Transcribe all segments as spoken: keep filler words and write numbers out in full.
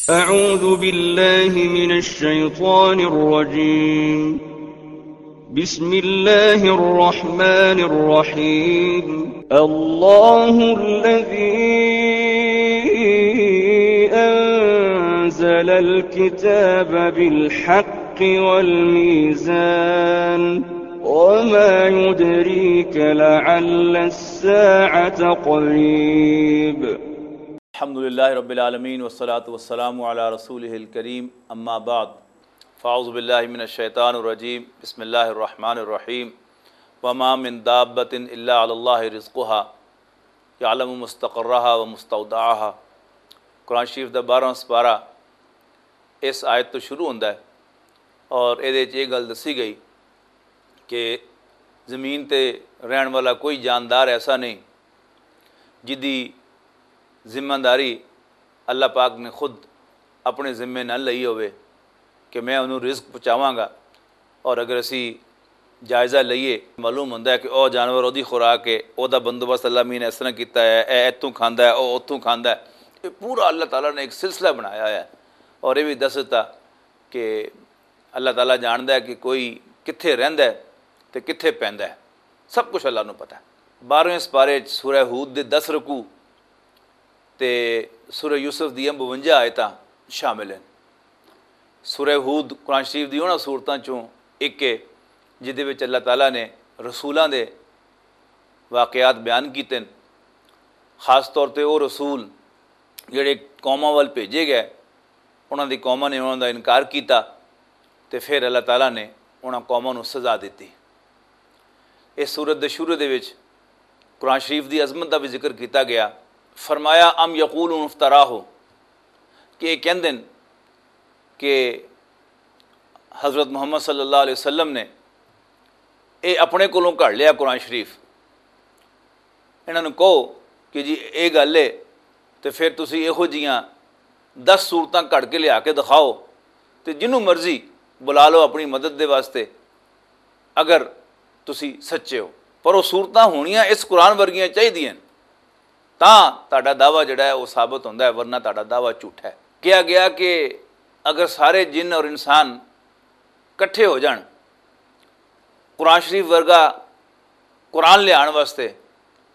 أعوذ بالله من الشيطان الرجيم. بسم الله الرحمن الرحيم. الله الذي أنزل الكتاب بالحق والميزان. وما يدريك لعل الساعة قريب. الحمد لله رب العالمين، والصلاة والسلام على رسوله الكريم، أما بعد، فأعوذ بالله من الشيطان الرجيم، بسم الله الرحمن الرحيم، وما من دابة إلا على الله رزقها، يعلم مستقرها ومستودعها۔ قرآن شریف دا بارہواں سپارہ اس آیت تو شروع ہوندا ہے اور اے دے وچ یہ گل دسی گئی کہ زمین تے رہن والا کوئی جاندار ایسا نہیں جدی ذمہ داری اللہ پاک نے خود اپنے ذمے نہ لئی ہوئے کہ میں انہوں رزق پہنچاواں گا۔ اور اگر اسی جائزہ لئیے، معلوم ہوندا ہے کہ او جانور اودی خوراک ہے، او دا بندوبست اللہ مین نے اس طرح کیتا ہے، اے اتھوں کھاندا ہے، او اتھوں کھاندا ہے۔ یہ پورا اللہ تعالیٰ نے ایک سلسلہ بنایا ہے۔ اور یہ بھی دس دتا کہ اللہ تعالیٰ جاندا ہے کہ کوئی کتھے رہندا ہے تے کتھے پیندا ہے، سب کچھ اللہ نوں پتہ ہے۔ بارہویں سپارے وچ سورہ ہود دے دس رکوع تے سورہ یوسف دیاں بونجا آیتاں شامل ہیں۔ سورہ ہود قرآن شریف دی انہاں سورتاں چوں ایک ہے، جدے وچ اللہ تعالیٰ نے رسولاں دے واقعات بیان کیتے ہیں۔ خاص طور تے او رسول جڑے قوماں ول بھیجے گئے، انہاں دی قوماں نے انہاں دا انکار کیتا تے پھر اللہ تعالیٰ نے انہاں قوماں نوں سزا دتی۔ اس سورت دے شروع دے وچ قرآن شریف دی عظمت دا بھی ذکر کیتا گیا۔ فرمایا، ام یقولون افتراہ، کہ یہ کہندے نے کہ حضرت محمد صلی اللہ علیہ وسلم نے یہ اپنے کولوں گھڑ لیا قرآن شریف۔ انہاں نوں کہو کہ جی یہ گل ہے، تے پھر تسی یہو جیاں دس صورتاں گھڑ کے لیا کے دکھاؤ، تے جنوں مرضی بلا لو اپنی مدد دے واسطے، اگر تسی سچے ہو۔ پر وہ صورتاں ہونیاں اس قرآن ورگیاں چاہیدیاں، تاں تہاڈا دعویٰ جڑا ہے وہ ثابت ہوندا ہے، ورنہ تہاڈا دعویٰ جھوٹا ہے۔ کہا گیا کہ اگر سارے جن اور انسان کٹھے ہو جان قرآن شریف ورگا قرآن لے آن واسطے،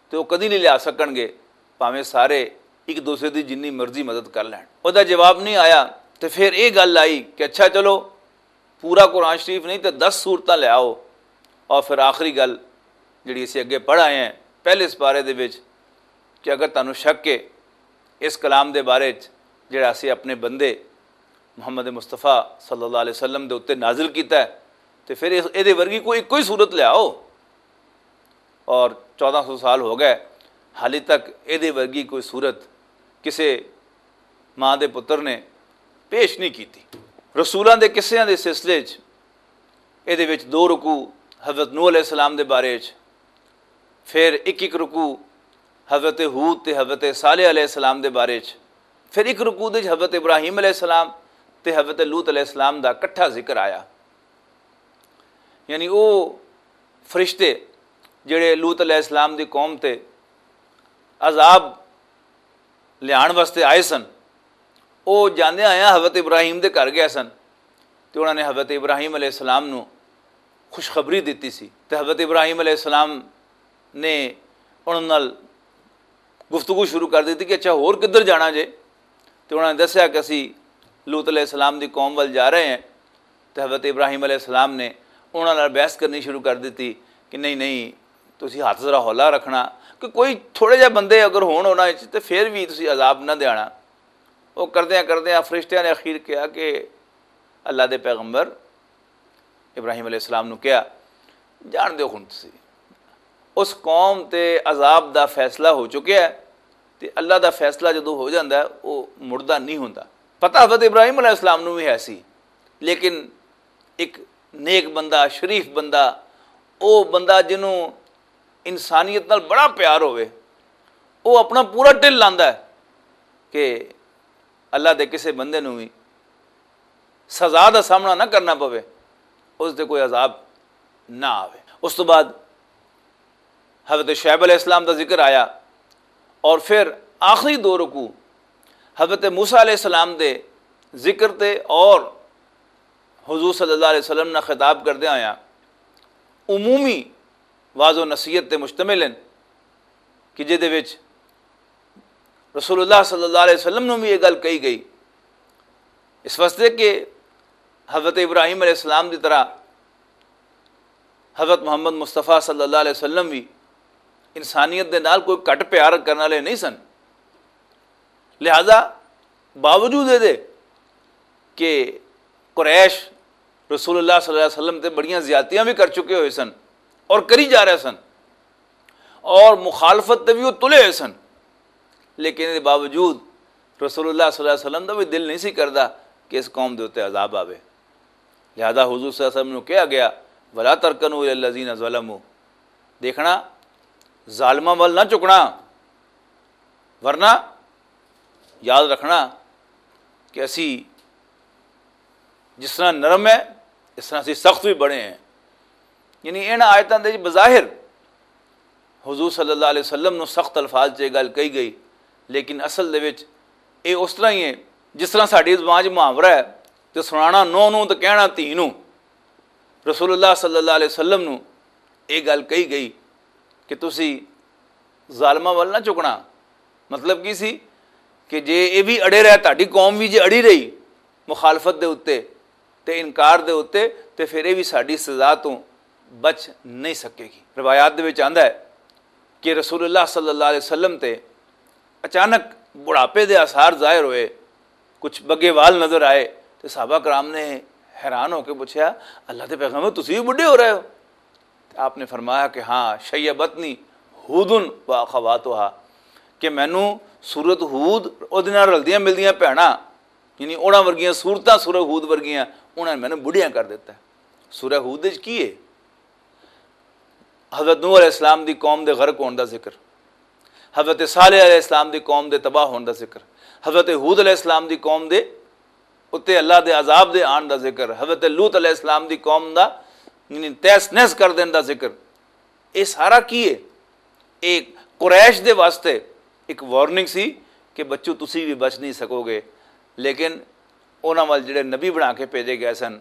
تے وہ کدی نہیں لیا سکن گے، بھاویں سارے ایک دوسرے دی جنی مرضی مدد کر لین۔ وہ جواب نہیں آیا۔ تے پھر یہ گل آئی کہ اچھا چلو، پورا قرآن شریف نہیں تے دس سورتاں لے آؤ۔ اور پھر آخری گل جڑی اسی اگے پڑھ آئے ہیں پہلے سپارے دے وچ، کہ اگر تانوں شک ہے اس کلام دے بارے وچ جڑا اسی اپنے بندے محمد مصطفیٰ صلی اللہ علیہ وسلم دے اُتے نازل کیتا ہے، تے پھر اس، ایدے ورگی کوئی، کوئی صورت لے آؤ۔ اور چودہ سو سال ہو گئے، حالی تک ایدے ورگی کوئی صورت کسے ماں دے پتر نے پیش نہیں کیتی۔ رسولاں دے قصیاں دے سلسلے وچ ایدے وچ دو رکوع حضرت نوح علیہ السلام دے بارے وچ، پھر ایک ایک رکوع حضرت ہود تے حضرت صالح علیہ السلام دے بارے وچ، پھر ایک رکوع دے وچ حضرت ابراہیم علیہ السلام تے حضرت لوط علیہ السلام دا کٹھا ذکر آیا۔ یعنی او فرشتے جڑے لوط علیہ السلام دی قوم تے عذاب لیان واسطے آئے سن، او جاندے آیا حضرت ابراہیم دے گھر گئے سن، تے انہاں نے حضرت ابراہیم علیہ السلام نو خوشخبری دتی سی۔ تے حضرت ابراہیم علیہ السلام نے انہاں نال گفتگو شروع کر دتی کہ اچھا، ہور کدھر جانا جے؟ تے انہاں نے دسیا کہ اسی لوط علیہ السلام دی قوم ول جا رہے ہیں۔ تے حضرت ابراہیم علیہ السلام نے انہاں نال بحث کرنی شروع کر دتی کہ نہیں، نہیں، تسی ہاتھ ذرا ہولا رکھنا، کہ کوئی تھوڑے جہے بندے اگر ہون انہاں وچ تے پھر بھی تسی عذاب نہ دینا۔ وہ کردیاں کردیاں فرشتیاں نے اخیر کہا کہ اللہ دے پیغمبر ابراہیم علیہ السلام نو کہا، جان دیو ہن تسی، اس قوم تے عذاب دا فیصلہ ہو چکیا ہے، تے اللہ دا فیصلہ جدوں ہو جاندا ہے، وہ مڑدا نہیں ہوندا۔ پتہ حضرت ابراہیم علیہ السلام نو بھی ہے سی، لیکن ایک نیک بندہ، شریف بندہ، او بندہ جنوں انسانیت نال بڑا پیار ہوئے، او اپنا پورا ٹل لاندا ہے کہ اللہ دے کسے بندے نوں وی سزا دا سامنا نہ کرنا پوے، اس تے کوئی عذاب نہ آوے۔ اس تو بعد حضرت شعیب علیہ السلام دا ذکر آیا، اور پھر آخری دو رکوع حضرت موسیٰ علیہ السلام دے ذکر تے اور حضور صلی اللہ علیہ وسلم نال خطاب کردے ہویا عمومی واضح نصیحت تے مشتمل ہیں، کہ جہدے وچ رسول اللہ صلی اللہ علیہ وسلم نوں بھی یہ گل کہی گئی، اس واسطے کہ حضرت ابراہیم علیہ السلام دی طرح حضرت محمد مصطفیٰ صلی اللہ علیہ وسلم بھی انسانیت دے نال کوئی گھٹ پیار کرنے والے نہیں سن۔ لہذا باوجود یہ دے کہ قریش رسول اللہ صلی اللہ علیہ وسلم تے بڑیاں زیادتیاں بھی کر چکے ہوئے سن اور کری جا رہے سن، اور مخالفت تے بھی وہ تلے ہوئے سن، لیکن اس باوجود رسول اللہ صلی اللہ علیہ وسلم دا بھی دل نہیں سی کردا کہ اس قوم دے اُتے عذاب آوے۔ لہذا حضور صلی اللہ علیہ وسلم نوں کہا گیا، "ولا ترکنوا الی الذین ظلموا"، دیکھنا، ظالماں ول نہ چکنا، ورنہ یاد رکھنا کہ اسی جس طرح نرم ہے، اس طرح اسی سخت بھی بڑے ہیں۔ یعنی ان آیتاں دے بظاہر حضور صلی اللہ علیہ وسلم نوں سخت الفاظ 'چ یہ گل کہی گئی، لیکن اصل دے وچ یہ اس طرح ہی ہے جس طرح ساڈی زبان 'چ محاورہ ہے، تے سنانا نو نو تے کہنا تھی نو۔ رسول اللہ صلی اللہ علیہ وسلم نوں یہ گل کہی گئی کہ تسی ظالماں ول نہ چکنا۔ مطلب کی سی؟ کہ جے یہ بھی اڑے رہے، تہاڈی قوم بھی جے اڑی رہی مخالفت دے اُتے تے انکار دے اُتے، تے پھر یہ بھی ساڈی سزا تو بچ نہیں سکے گی۔ روایات دے وچ آندا ہے کہ رسول اللہ صلی اللہ علیہ وسلم تے اچانک بڑھاپے دے آثار ظاہر ہوئے، کچھ بگے وال نظر آئے، تے صحابہ کرام نے حیران ہو کے پوچھا، "اللہ دے پیغمبر، تسی بھی بڈھے ہو رہے ہو؟" تے آپ نے فرمایا کہ ہاں، "شیبتنی ہودن و اخواتہا"، کہ مینوں سورت ہود، اودے نال رلدیاں ملدیاں بھیناں، یعنی اوڑاں ورگیاں صورتاں، سورہ ہود ورگیاں، انہاں نے مینوں بڈھیاں کر دتا ہے۔ سورہ ہود وچ کی ہے؟ حضرت نوح علیہ السلام دی قوم دے غرق ہون دا ذکر، حضرت صالح علیہ السلام دی قوم دے تباہ ہون دا ذکر، حضرت ہود علیہ السلام دی قوم دے اُتے اللہ دے عذاب دے آن دا ذکر، حضرت لوط علیہ السلام دی قوم دا، یعنی، تہس نہس کر دین دا ذکر۔ یہ سارا کی ہے؟ ایک قریش دے واسطے ایک وارننگ سی کہ بچو، تسی بھی بچ نہیں سکو گے۔ لیکن انہاں وال جڑے نبی بنا کے بھیجے گئے سن،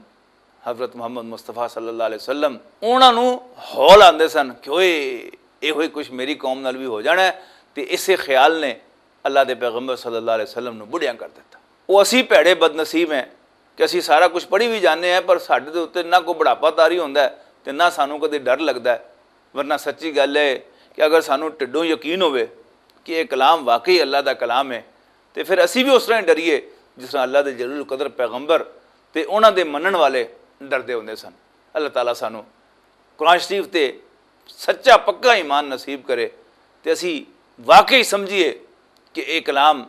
حضرت محمد مصطفیٰ صلی اللہ علیہ وسلم، انہاں نوں ہول آندے سن کہ اوئے، یہ ہوئی کچھ میری قوم نال بھی ہو جانا ہے۔ تے اسے خیال نے اللہ دے پیغمبر صلی اللہ علیہ وسلم نوں بڑھیاں کر دتا۔ وہ اسی بھیڑے بدنصیب ہیں کہ اسی سارا کچھ پڑھی بھی جانے ہیں، پر ساڈے دے اُتے نہ کوئی بڑھاپا طاری ہوندا ہے تے نہ سانوں کدے ڈر لگدا ہے۔ ورنہ سچی گل ہے کہ اگر سانوں ٹڈوں یقین ہوئے کہ یہ کلام واقعی اللہ دا کلام ہے، تے پھر اسی بھی اس طرح ہی ڈریے جس طرح اللہ دے جلیل القدر پیغمبر تے انہاں دے منن والے ڈردے ہوندے سن۔ اللہ تعالیٰ سانوں قرآن شریف تے سچا پکا ایمان نصیب کرے، تے اسی واقعی سمجھیے کہ یہ کلام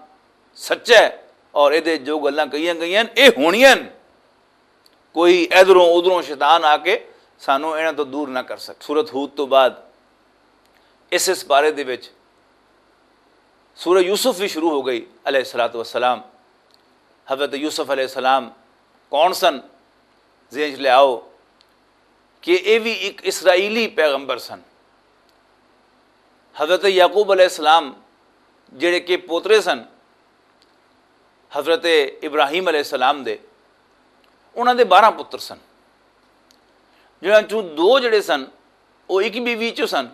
سچا ہے اور یہ جو گلاں کہیاں گئیاں، یہ ہونیاں۔ کوئی ادھروں ادھروں شیطان آ کے سانوں انہاں تو دور نہ کر سکے۔ سورت ہود تو بعد اس اس بارے دے وچ سورہ یوسف بھی شروع ہو گئی علیہ الصلوۃ والسلام۔ حضرت یوسف علیہ السلام کون سن؟ ذہن چ لے آؤ کہ یہ بھی ایک اسرائیلی پیغمبر سن۔ حضرت یعقوب علیہ السلام جڑے کہ پوترے سن حضرت ابراہیم علیہ السلام دے، انہاں دے بارہ پتر سن، جنہاں چوں دو جڑے سن، وہ ایک بیوی چوں سن،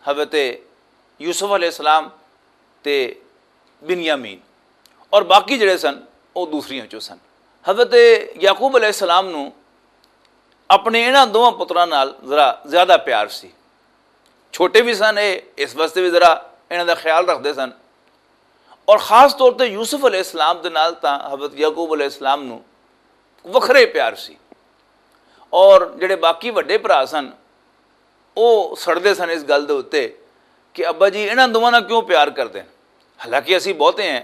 حضرت یوسف علیہ السلام تے بنیامین، اور باقی جڑے سن، وہ دوسریاں چوں سن۔ حضرت یعقوب علیہ السلام نو اپنے انہاں دوواں پتراں نال ذرا زیادہ پیار سی۔ چھوٹے بھی سن، اے اس واسطے بھی ذرا انہاں دا خیال رکھدے سن، اور خاص طور تے یوسف علیہ السلام دے نال تاں حضرت یعقوب علیہ السلام نو وکھرے پیار سی۔ اور جڑے باقی وڈے بھرا سن، او سڑدے سن اس گل دے اُتے کہ ابا جی انہاں دوواں نال کیوں پیار کردے ہیں؟ حالانکہ اسی بہتے ہیں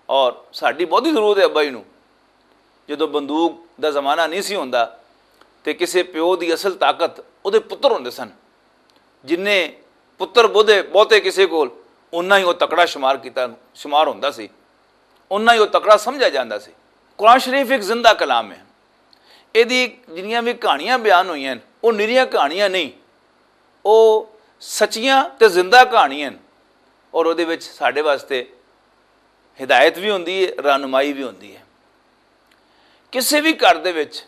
اور ساڈی بہتی ضرورت ہے ابا جی نو۔ جدوں بندوق دا زمانہ نہیں سی ہوندا تے کسے پیو دی اصل طاقت اودے پتر ہوندے سن۔ جنہیں پتر بودے بہتے کسے کول، اُنہاں ہی وہ تکڑا شمار کیتا، شمار ہوندا سی، اُنہاں ہی وہ تکڑا سمجھا جاندا سی۔ قرآن شریف ایک زندہ کلام ہے۔ یہ دی جنیاں بھی کہانیاں بیان ہوئی ہیں، وہ نریاں کہانیاں نہیں، وہ سچیاں تے زندہ کہانیاں ہیں۔ اور وہ دے وچ ساڈے واسطے ہدایت بھی ہوندی ہے، رہنمائی بھی ہوندی ہے۔ کسے وی گھر دے وچ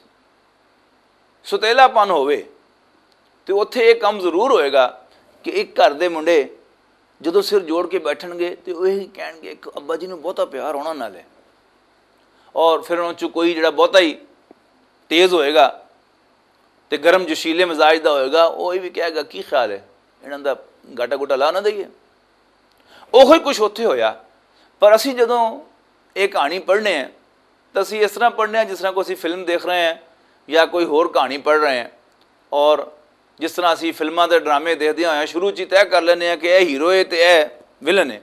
ستیلا پن ہووے، تے اوتھے اے کم ضرور ہوئے گا کہ اک گھر دے منڈے جدوں سر جوڑ کے بیٹھن گے تے او یہی کہن گے کہ ابا جی نوں بہتا پیار ہونا نال ہے۔ اور پھر انہاں چوں کوئی جڑا بہتا ہی تیز ہوئے گا تے گرم جوشیلے مزاج دا ہوئے گا، او یہ بھی کہے گا، "کی خیال ہے؟ انہاں دا گاٹا گوٹا لا نہ دئیے؟" اوہی کچھ اوتھے ہویا۔ پر اسی جدوں اے کہانی پڑھنے ہیں، تو اسی اس طرح پڑھنے ہیں جس طرح کوئی اسی فلم دیکھ رہے ہیں یا کوئی ہور کہانی پڑھ رہے ہیں۔ اور جس طرح اسی فلماں تے ڈرامے دیکھدے ہوئے ہیں، شروع چ ہی طے کر لینے ہیں کہ اے ہیرو ہے تے اے ولن ہے۔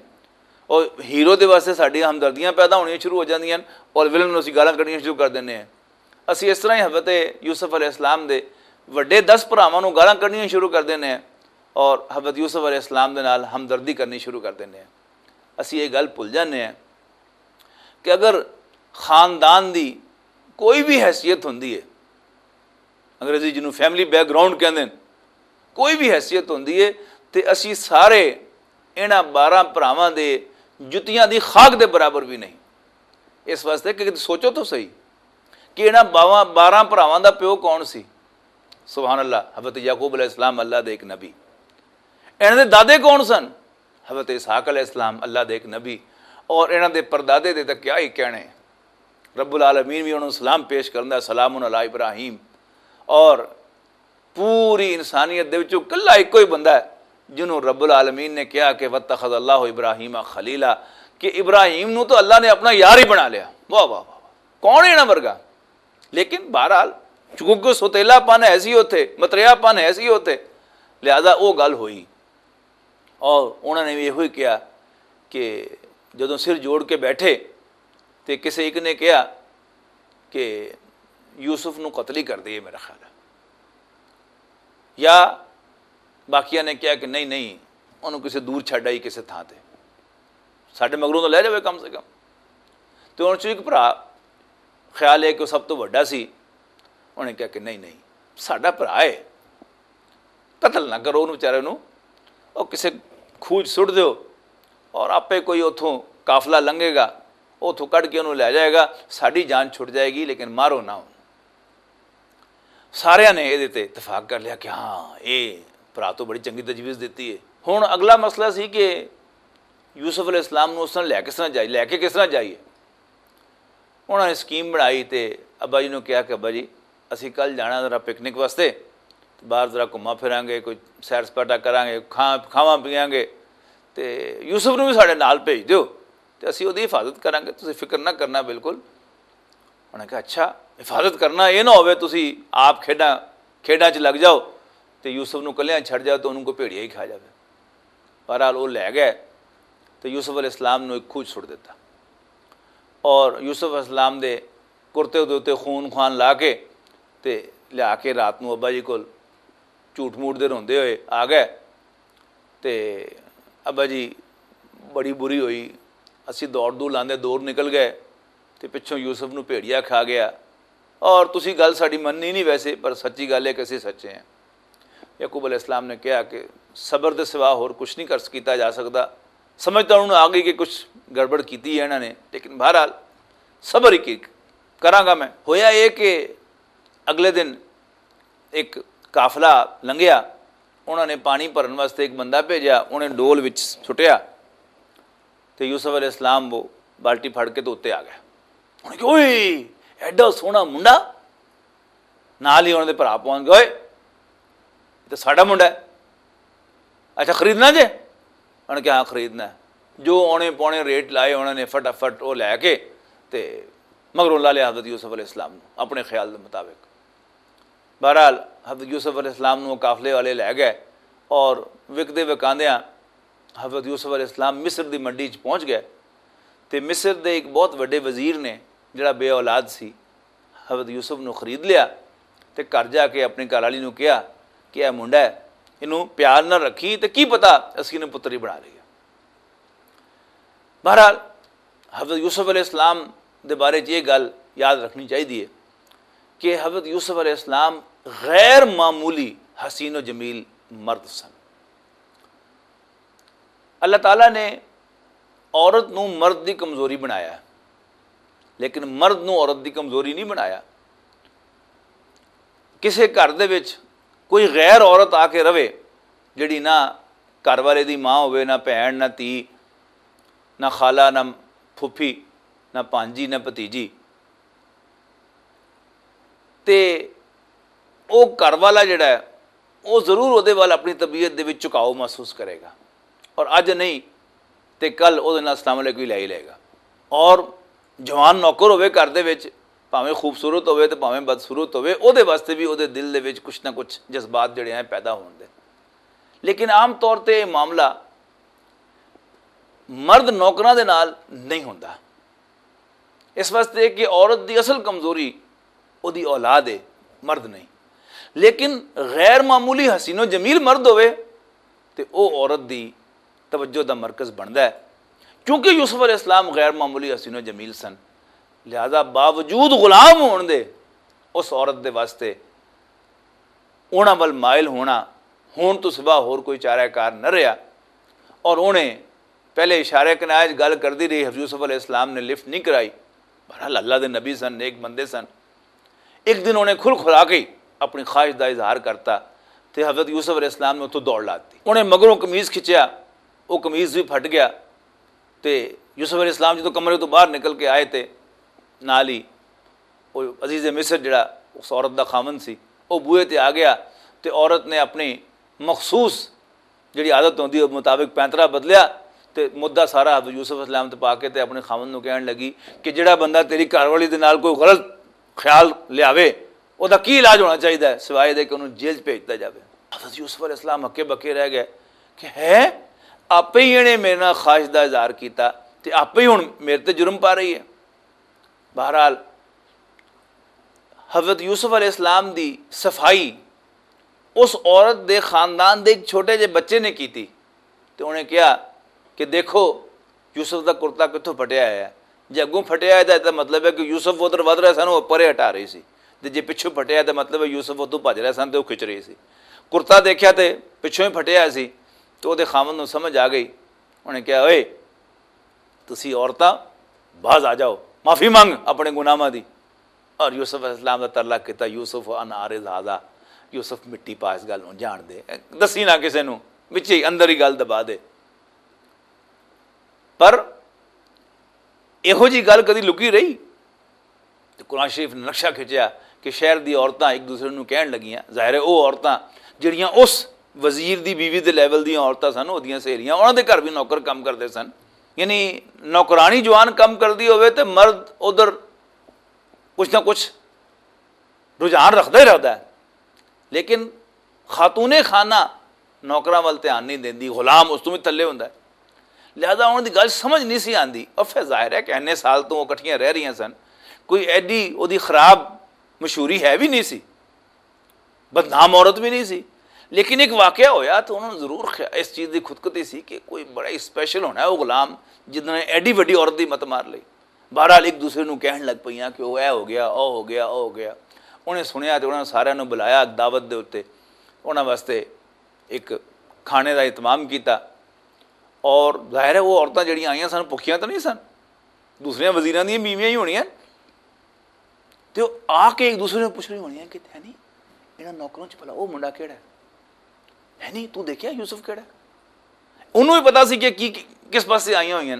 اور ہیرو دے واسطے ساڈیاں ہمدردیاں پیدا ہونیاں شروع ہو جاندیاں ہیں اور ولن نوں اسی گالاں کڈنیاں شروع کر دینے ہیں۔ اسی اس طرح ہی حضرت یوسف علیہ السلام دے وڈے دس بھراواں نوں گالاں کڈنیاں شروع کر دینے ہیں اور حضرت یوسف علیہ السلام دے نال ہمدردی کرنی شروع کر دینے ہیں۔ اسی یہ گل بھول جانے ہیں کہ اگر خاندان دی کوئی بھی حیثیت ہوندی ہے، انگریزی جنوں فیملی بیک گراؤنڈ کہندے نے، کوئی بھی حیثیت ہوندی ہے، تے اسی سارے انہاں بارہ بھراواں دے جتیاں دی خاک دے برابر بھی نہیں۔ اس واسطے کہ سوچو تو صحیح کہ انہاں باواں-، بارہ بھراواں دا پیو کون سی؟ سبحان اللہ، حضرت یعقوب علیہ السلام، اللہ دے ایک نبی۔ انہاں دے دادے کون سن؟ حضرت اسحاق علیہ السلام، اللہ دے ایک نبی۔ اور انہاں دے پردادے دے تاں کیا ہی کہنے۔ رب العالمین بھی انہاں نوں سلام پیش کرندا ہے، "سلام علی ابراہیم۔" اور پوری انسانیت دے وچوں کلا ایک کوئی بندہ ہے جنہوں رب العالمین نے کہا کہ "واتخذ اللہ ابراہیم خلیلا"، کہ ابراہیم نو تو اللہ نے اپنا یار ہی بنا لیا۔ واہ، واہ، واہ، واہ۔ کون ہے انہاں ورگا؟ لیکن بہرحال، چونکہ سوتیلا پن ایسی ہوتے، متریا پن ایسی ہوتے، لہذا وہ گل ہوئی۔ اور انہوں نے بھی یہ ہوئی کہا کہ جدوں سر جوڑ کے بیٹھے، تے کسے ایک نے کہا کہ یوسف نو قتل ہی کر دئیے، میرا خیال ہے۔ یا باقیاں نے کہا کہ نہیں، نہیں، انہوں کسے دور چھڈ آئی، کسے تھاں تے، ساڈے مگروں تو لے جاوے کم سے کم۔ تے انہوں چوں ایک بھرا، خیال ہے کہ وہ سب تو وڈا سی، انہوں نے کہا کہ نہیں، نہیں، ساڈا بھرا ہے، قتل نہ کرو انہوں بیچارے نوں، وہ کسے کھوج سٹ دیو، اور آپے کوئی اتھوں قافلہ لنگے گا، اتھوں کڈ کے انہوں لے جائے گا، ساڈی جان چھٹ جائے گی، لیکن مارو نہ انہوں۔ ساریاں نے یہ اتفاق کر لیا کہ ہاں، یہ بھرا تو بڑی چنگی تجویز دیتی ہے۔ ہن اگلا مسئلہ سی کہ یوسف علیہ السلام نوں اس طرح لے کس طرح جائیے، لے کے کس طرح جائیے؟ انہاں نے سکیم بنائی تے ابا جی نوں کہا کہ ابا جی، اسی کل جانا ذرا پکنک واسطے، باہر ذرا گھما پھراں گے، کوئی سیر سپاٹا کراں گے، کھا-، کھاواں پیاں گے، تے یوسف نوں بھی ساڈے نال بھیج دیو، تے اسی اودی حفاظت کراں گے، تسی فکر نہ کرنا بالکل۔ انہاں نے کہا، "اچھا، حفاظت کرنا، یہ نہ ہوئے تسی آپ کھیڈاں، کھیڈاں چ لگ جاؤ تے یوسف نوں کلیاں چھڈ جاؤ تے انہوں کو بھیڑیا ہی کھا جاوے۔" بہرحال، وہ لے گئے تے یوسف علیہ السلام نوں ایک کھوج سٹ دیتا۔ اور یوسف علیہ السلام دے کرتے دے اُتے خون خوان لا کے تے لیا کے رات نوں ابا جی کول جھوٹ موٹ دے روندے ہوئے آ گئے۔ تے ابا جی بڑی بری ہوئی، اسی دوڑ دور لاندے دور نکل گئے تے پچھوں یوسف نوں بھیڑیا کھا گیا۔ اور تسی گل ساڈی مننی نہیں ویسے، پر سچی گل ہے کہ اسی سچے ہیں۔ یعقوب علیہ السلام نے کہا کہ صبر دے سوا ہور کچھ نہیں کر کیتا جا سکدا۔ سمجھ تاں انہوں آ گئی کہ کچھ گڑبڑ کیتی ہے انہاں نے، لیکن بہرحال صبر ہی کی کراں گا میں۔ ہویا یہ کہ اگلے دن ایک قافلہ لنگھیا، انہاں نے پانی بھرن واسطے ایک بندہ بھیجیا، انہیں ڈول وچ سٹیا تے یوسف علیہ السلام وہ بالٹی پھڑ کے تو اتنے آ گیا۔ انہاں نے کہا، "اوئے، ایڈا سوہنا منڈا۔" نال ہی انہاں دے بھرا پہنچ گئے، "اوئے، یہ تو ساڈا منڈا ہے، اچھا خریدنا جے؟" انہاں نے کہا، "ہاں، خریدنا ہے۔" جو اونے پونے ریٹ لائے، انہاں نے فٹافٹ وہ لے کے تے مگروں لا لیا حضرت یوسف علیہ السلام نوں اپنے خیال دے مطابق۔ بہرحال، حضرت یوسف علیہ السلام نوں قافلے والے لے گئے اور وکدے وکاندیاں حضرت یوسف علیہ السلام مصر دی منڈی چ پہنچ گئے۔ تے مصر دے ایک بہت وڈے وزیر نے، جڑا بے اولاد سی، حضرت یوسف نوں خرید لیا تے گھر جا کے اپنی گھر والی نوں کہا کہ اے منڈا ہے، اینوں پیار نہ رکھی تے کی پتہ اسی نے پتری بنا لئی۔ بہرحال، حضرت یوسف علیہ السلام دے بارے چ یہ گل یاد رکھنی چاہیے کہ حضرت یوسف علیہ السلام غیر معمولی حسین و جمیل مرد سن۔ اللہ تعالیٰ نے عورت نوں مرد دی کمزوری بنایا ہے۔ لیکن مرد نوں عورت دی کمزوری نہیں بنایا۔ کسے گھر دے وچ کوئی غیر عورت آ کے رہے، جڑی نہ گھر والے دی ماں ہوئے، نہ بھین، نہ تھی، نہ خالہ، نہ پھوپھی، نہ پانجی، نہ بھتیجی، تے او گھر والا جڑا ہے، او ضرور اودے وال اپنی طبیعت دے وچ جھکاؤ محسوس کرے گا، اور اج نہیں تے کل اودے نال السلام علیکم ہی لے ہی لے گا۔ اور جوان نوکر ہوئے گھر دے وچ، بھاویں خوبصورت ہوئے تے بھاویں بدصورت ہوئے، اودے واسطے بھی اودے دل دے وچ کچھ نہ کچھ جذبات جڑے ہیں پیدا ہون دے۔ لیکن عام طور تے یہ معاملہ مرد نوکراں دے نال نہیں ہوندا۔ اس واسطے کہ عورت دی اصل کمزوری اودی اولاد ہے، مرد نہیں۔ لیکن غیر معمولی حسین و جمیل مرد ہوئے تے او عورت دی توجہ دا مرکز بندا ہے۔ کیونکہ یوسف علیہ السلام غیر معمولی حسین و جمیل سن، لہذا باوجود غلام ہون دے اس عورت دے واسطے انہاں ول مائل ہونا ہون تو سوا ہور کوئی چارہ کار نہ رہیا۔ اور انہیں پہلے اشارے کنائے گل کردی رہی، حضرت یوسف علیہ السلام نے لفٹ نہیں کرائی۔ بہرحال اللہ دے نبی سن، نیک بندے سن۔ ایک دن انہیں کھل کھلا کے اپنی خواہش دا اظہار کرتا تے حضرت یوسف علیہ السلام نے اتھوں دوڑ لاتی۔ انہیں مگروں قمیض کھچیا، وہ قمیض بھی پھٹ گیا۔ تے یوسف علیہ السلام جدوں کمرے تو باہر نکل کے آئے تے نال ہی وہ عزیز مصر جڑا اس عورت دا خاوند سی، وہ بوئے تے آ گیا۔ تے عورت نے اپنی مخصوص جڑی عادت ہوندی ہے مطابق پینترا بدلیا تے مدعا سارا حضرت یوسف علیہ السلام تے پا کے تے اپنے خاوند نوں کہن لگی کہ جڑا بندہ تیری گھر والی دے نال کوئی غلط خیال لیاوے، او دا کی علاج ہونا چاہیدا ہے؟ سوائے دے کہ انہوں جیل چ بھیج دتا جاوے۔ حضرت یوسف علیہ السلام ہکے بکے رہ گئے کہ ہے، آپے ہی انہیں میرے نال خواہش دا اظہار کیتا تے آپے ہی ہن میرے تے جرم پا رہی ہے۔ بہرحال، حضرت یوسف علیہ السلام دی صفائی اس عورت دے خاندان دے ایک چھوٹے جے بچے نے کیتی۔ تے انہیں کہا کہ دیکھو، یوسف دا کرتا کتھوں پھٹیا ہے۔ جے اگوں پھٹیا ہے، تے مطلب ہے کہ یوسف ادھر ودھ رہے سن، وہ پرے ہٹا رہی سی۔ تے جے پچھوں پھٹیا ہے، تے مطلب ہے یوسف ادھوں بھج رہے سن، تے وہ کھچ رہی سی۔ کرتا دیکھیا تے پچھوں ہی پھٹیا سی۔ تو وہ دے خامن نوں سمجھ آ گئی۔ انہیں کہا، اوئے، تسی عورتاں باز آ جاؤ، معافی منگ اپنے گناہاں دی۔ اور یوسف علیہ السلام دا ترلا کیتا، یوسف ان عارض ہذا، یوسف مٹی پا اس گل نوں جان دے، دسی نہ کسے نوں، وچ ہی اندر ہی گل دبا دے۔ پر ایہو جی گل کدی لکی رہی؟ تے قرآن شریف نے نقشہ کھچیا کہ شہر دی عورتاں ایک دوسرے نوں کہن لگیاں، ظاہر ہے او عورتاں جڑیاں اس وزیر دی بیوی دے لیول دیاں عورتاں سن، اودیاں سہیلیاں، انہاں دے گھر بھی نوکر کم کردے سن۔ یعنی نوکرانی جوان کم کردی ہوئے تے مرد ادھر کچھ نہ کچھ رجحان رکھدا ہی رکھدا ہے۔ لیکن خاتون خانہ نوکراں ول دھیان نہیں دیندی، غلام اس تو بھی تھلے ہوندا ہے۔ لہذا انہاں دی گل سمجھ نہیں سی آندی۔ اور پھر ظاہر ہے کہ اننے سال تو وہ اکٹھیاں رہ رہیاں سن، کوئی ایڈی اودی خراب مشہوری ہے بھی نہیں سی، بدنام عورت بھی نہیں سی۔ لیکن ایک واقعہ ہویا تو انہوں نے ضرور خیا-، اس چیز دی خودکتی سی کہ کوئی بڑا ہی اسپیشل ہونا ہے وہ غلام، جس نے ایڈی وڈی عورت دی مت مار لئی۔ بہرحال ایک دوسرے نوں کہن لگ پئیاں کہ او اے ہو گیا، او ہو گیا، او ہو گیا۔ انہیں سنیا تے انہاں ساریاں نوں بلایا دعوت دے اُتے، انہاں واسطے ایک کھانے دا اہتمام کیتا۔ اور ظاہر ہے وہ عورتاں جڑیاں آئیاں سن، بھکھیاں تاں نہیں سن، دوسریاں وزیراں دیاں بیویاں ہی ہونیاں۔ تے او آ کے ایک دوسرے نوں پوچھ رہی ہونیاں کہ ہے نہیں، انہاں نوکراں چ بھلا او منڈا کیڑا ہے؟ ہے نہیں، تو دیکھیا یوسف کیڑا ہے؟ انہوں بھی پتا سی کہ کی، کس پاسے آئیاں ہوئیاں۔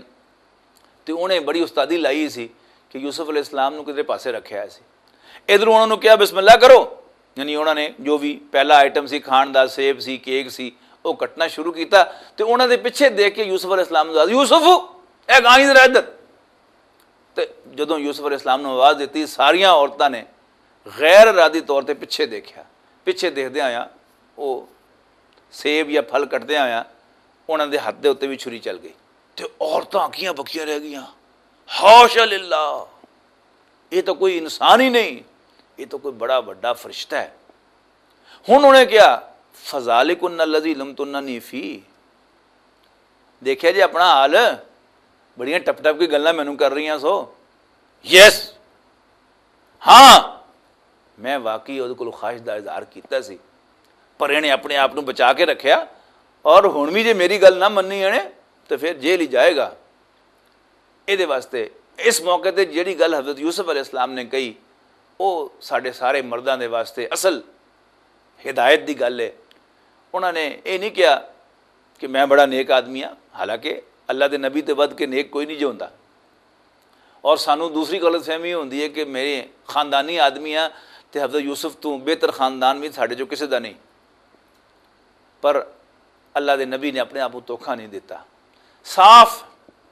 تے انہیں بڑی استادی لائی سی کہ یوسف علیہ السلام نوں کدھر پاسے رکھیا سی۔ ادھروں انہوں نے کہا، بسم اللہ کرو۔ یعنی انہوں نے جو بھی پہلا آئٹم سی کھان دا، سیب سی، کیک سی، وہ کٹنا شروع کیتا۔ تے انہوں نے پیچھے دیکھ کے یوسف علیہ السلام نوں آواز، یوسف، اے گائیں ذرا ادھر۔ تے جدوں یوسف علیہ السلام نوں آواز دتی، ساریاں عورتاں نے غیر ارادی طور تے پیچھے دیکھیا۔ پیچھے دیکھدے آیا، وہ سیب یا پھل کٹدے آیا، انہاں دے ہاتھ دے اُتے بھی چھری چل گئی۔ تے عورتاں اکھیاں بکھیاں رہ گئیاں۔ حاشا للہ، یہ تو کوئی انسان ہی نہیں، یہ تو کوئی بڑا وڈا فرشتہ ہے۔ ہن انہیں کہا، فذالکن الذی لمتننی فیہ، دیکھیا جی اپنا حال، بڑیاں ٹپ ٹپ کی گلاں مینوں کر رہیاں سو۔ یس، ہاں، میں واقعی اودے کول خواہش دا اظہار کیتا سی، پر انہیں اپنے آپ نوں بچا کے رکھیا، اور ہن بھی جے میری گل نہ مننی انہیں تے پھر جیل ہی جائے گا۔ اے دے واسطے اس موقع تے جیڑی گل حضرت یوسف علیہ السلام نے کہی، وہ ساڈے سارے مرداں دے واسطے اصل ہدایت دی گل ہے۔ انہاں نے یہ نہیں کہا کہ میں بڑا نیک آدمی ہاں، حالانکہ اللہ دے نبی تے ود کے نیک کوئی نہیں جو ہوندا۔ اور سانو دوسری غلط فہمی ہوندی ہے کہ میرے خاندانی آدمی ہاں، تے حضرت یوسف تو بہتر خاندان بھی ساڈے چوں کسے دا نہیں۔ پر اللہ دے نبی نے اپنے آپ کو دھوکھا نہیں دیتا، صاف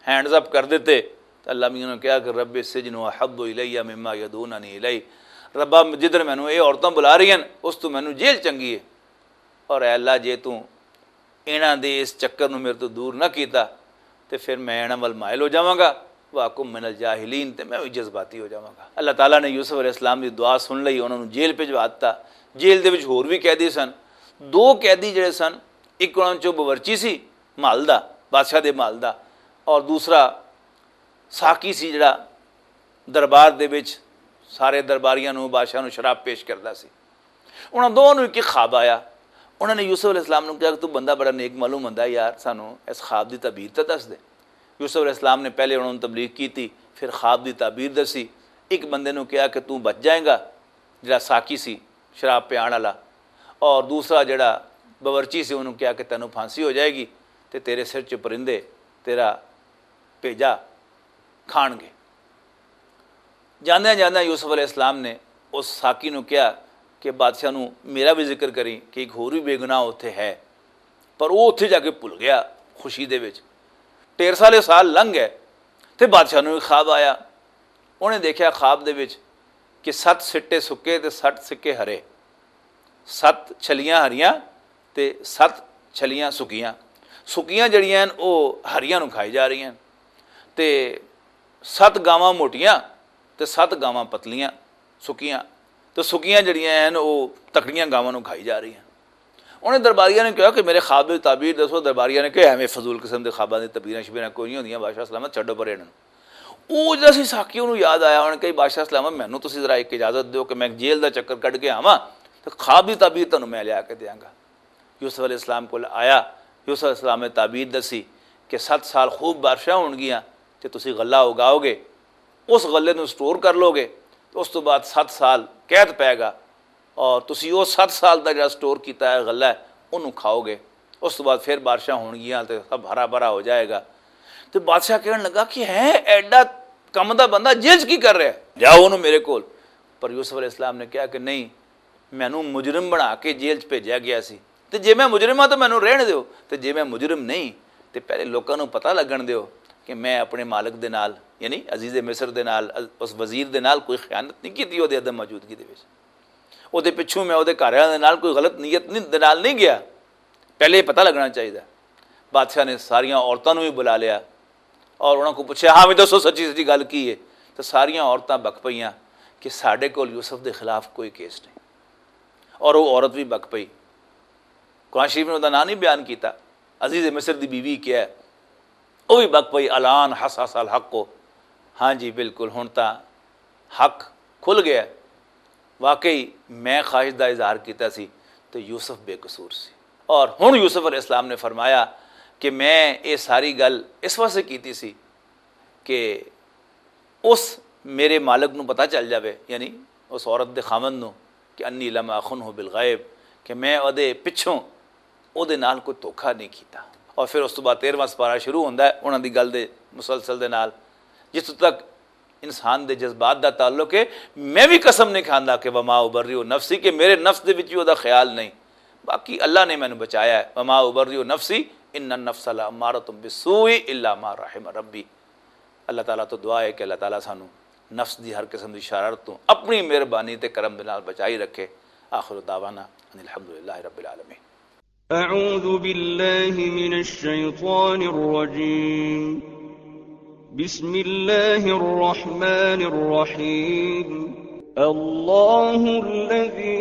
ہینڈز اپ کر دیتے۔ تے اللہ میاں نے کہا کہ رب السجن احب الی مما یدعوننی الی، ربا، جدھر مینوں یہ عورتاں بلا رہی ہیں، اس تو مینوں جیل چنگی ہے۔ اور اے اللہ، جے تو انہاں دے اس چکر نوں میرے تو دور نہ کیتا، تے پھر میں انہاں ول مائل ہو جاواں گا، واکم من الجاہلین، تے میں وی جذباتی ہو جاواں گا۔ اللہ تعالیٰ نے یوسف علیہ السلام دی دعا سن لئی، انہاں نوں جیل بھجوا دتا۔ جیل دے وچ ہور وی قیدی سن، دو قیدی جڑے سن، ایک انہاں چوں باورچی سی، محل دا، بادشاہ دے محل دا، اور دوسرا ساقی سی، جڑا دربار دے وچ سارے درباریاں نوں، بادشاہ نوں شراب پیش کردا سی۔ انہاں دونوں نوں ایک خواب آیا۔ انہاں نے یوسف علیہ السلام نوں کہا کہ تو بندہ بڑا نیک معلوم ہوندا ہے یار، سانوں اس خواب دی تعبیر تے دس دے۔ یوسف علیہ السلام نے پہلے انہاں نوں تبلیغ کیتی، پھر خواب دی تعبیر دسی۔ ایک بندے نوں کہا کہ تو بچ جائیں گا، جڑا ساقی سی، شراب پیان والا، اور دوسرا جڑا باورچی سی، انہوں کہا کہ تینوں پھانسی ہو جائے گی، تے تیرے سر چ پرندے تیرا بھیجا کھان گے۔ جاندیاں جاندیاں یوسف علیہ السلام نے اس ساقی نوں کہا کہ بادشاہ نوں میرا بھی ذکر کریں کہ ایک ہور بھی بے گناہ اتھے ہے۔ پر وہ اتھے جا کے بھول گیا خوشی دے وچ۔ ڈھیر سارے سال لنگھ گئے تے بادشاہ نوں ایک خواب آیا۔ انہیں دیکھیا خواب دے وچ کہ ست سٹے سکے تے ست سکے ہرے، ست چھلیاں ہریاں تے ست چھلیاں سکیاں۔ سکیاں جڑیاں ہن، او ہریاں نوں کھائی جا رہیاں ہن، تے ست گاواں موٹیاں تے ست گاواں پتلیاں، سکیاں، تے سکیاں جڑیاں ہن، او تکڑیاں گاواں نوں کھائی جا رہیاں۔ انہیں درباریاں نے کہا کہ میرے خواب دی تعبیر دسو۔ درباریاں نے کہا، ایویں فضول قسم دے خواباں دی تعبیراں شبیراں کوئی نہیں ہوندیاں، بادشاہ سلامت، چھڈو پرے انہاں نوں۔ او جڑا سی ساقی، انہوں یاد آیا، انہوں نے کہا، بادشاہ سلامت، مینوں تسی ذرا ایک اجازت دیو کہ میں جیل دا چکر کڈ کے آواں، تے خواب دی تعبیر تانوں میں لیا کے دیاں گا۔ یوسف علیہ السلام کول آیا، یوسف علیہ السلام نے تعبیر دسی کہ ست سال خوب بارشاں ہون گیاں، تے تسی غلہ اگاؤ گے، اس غلے نوں سٹور کر لو گے، تے اس تو بعد ست سال قید پے گا، اور تسی او ست سال دا جڑا سٹور کیتا ہے غلہ ہے، انہوں کھاؤ گے۔ اس تو بعد پھر بارشاں ہون گیاں تے سب ہرا بھرا ہو جائے گا۔ تے بادشاہ کہن لگا کہ ہے ایڈا کم دا بندہ جیل چ کی کر رہا ہے؟ لیاؤ انہوں میرے کول۔ پر یوسف علیہ السلام نے کہا کہ نہیں، مینوں مجرم بنا کے جیل چ بھیجیا گیا سی، تے جے میں مجرم ہاں تے مینوں رہن دیو، تے جے میں مجرم نہیں، تے پہلے لوکاں نوں پتہ لگن دیو کہ میں اپنے مالک دے نال، یعنی عزیز مصر دے نال، اس وزیر دے نال کوئی خیانت نہیں کیتی اودے عدم موجودگی دے وچ۔ اودے پچھوں میں اودے گھر والے دے نال کوئی غلط نیت نہیں، دے نال نہیں گیا۔ پہلے یہ پتہ لگنا چاہیے۔ بادشاہ نے ساریاں عورتاں نوں بھی بلا لیا اور انہاں کو پوچھا، ہاں بھی دسو، سچی سچی گل کی ہے؟ تو ساریاں عورتاں بک پئیاں کہ ساڈے کول یوسف دے خلاف کوئی کیس نہیں، اور وہ عورت بھی بک پئی۔ قرآن شریف نے اوندا نام نہیں بیان کیتا۔ عزیز مصر دی بیوی کیا ہے؟ وہ بھی بک پئی، الان حصحص الحق کو۔ ہاں جی، بالکل، ہن تاں حق کھل گیا ہے۔ واقعی میں خواہش دا اظہار کیتا سی تو یوسف بے قصور سی۔ اور ہن یوسف علیہ السلام نے فرمایا کہ میں یہ ساری گل اس واسطے کیتی سی کہ اس میرے مالک نوں پتہ چل جاوے، یعنی اس عورت دے خاوند نوں، کہ انی لم اخنہ بالغیب، کہ میں اودے پچھوں اودے نال کوئی دھوکھا نہیں کیتا۔ اور پھر اس تو بعد تیرہواں سپارہ شروع ہوندا ہے انہاں دی گل دے مسلسل دے نال، جتھوں تک انسان دے جذبات دا تعلق ہے۔ میں بھی قسم نہیں کھاندا کہ وما ابرئ نفسی، کہ میرے نفس دے وچ بھی اودے خیال نہیں، باقی اللہ نے مینوں بچایا ہے۔ وما ابرئ نفسی ان النفس لامارۃ بالسوء الا ما رحم ربی۔ اللہ تعالیٰ تو دعا ہے کہ اللہ تعالیٰ سانو نفس دی ہر قسم دی شرارت تو اپنی مہربانی تے کرم دے نال بچائی رکھے۔ آخر دعوانا ان الحمدللہ رب العالمین۔ أعوذ بالله من الشيطان الرجيم. بسم الله الرحمن الرحيم. الله الذي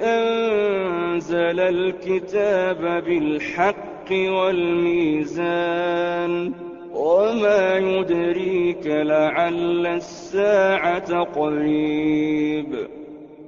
أنزل الكتاب بالحق والميزان. وما يدريك لعل الساعة قريب.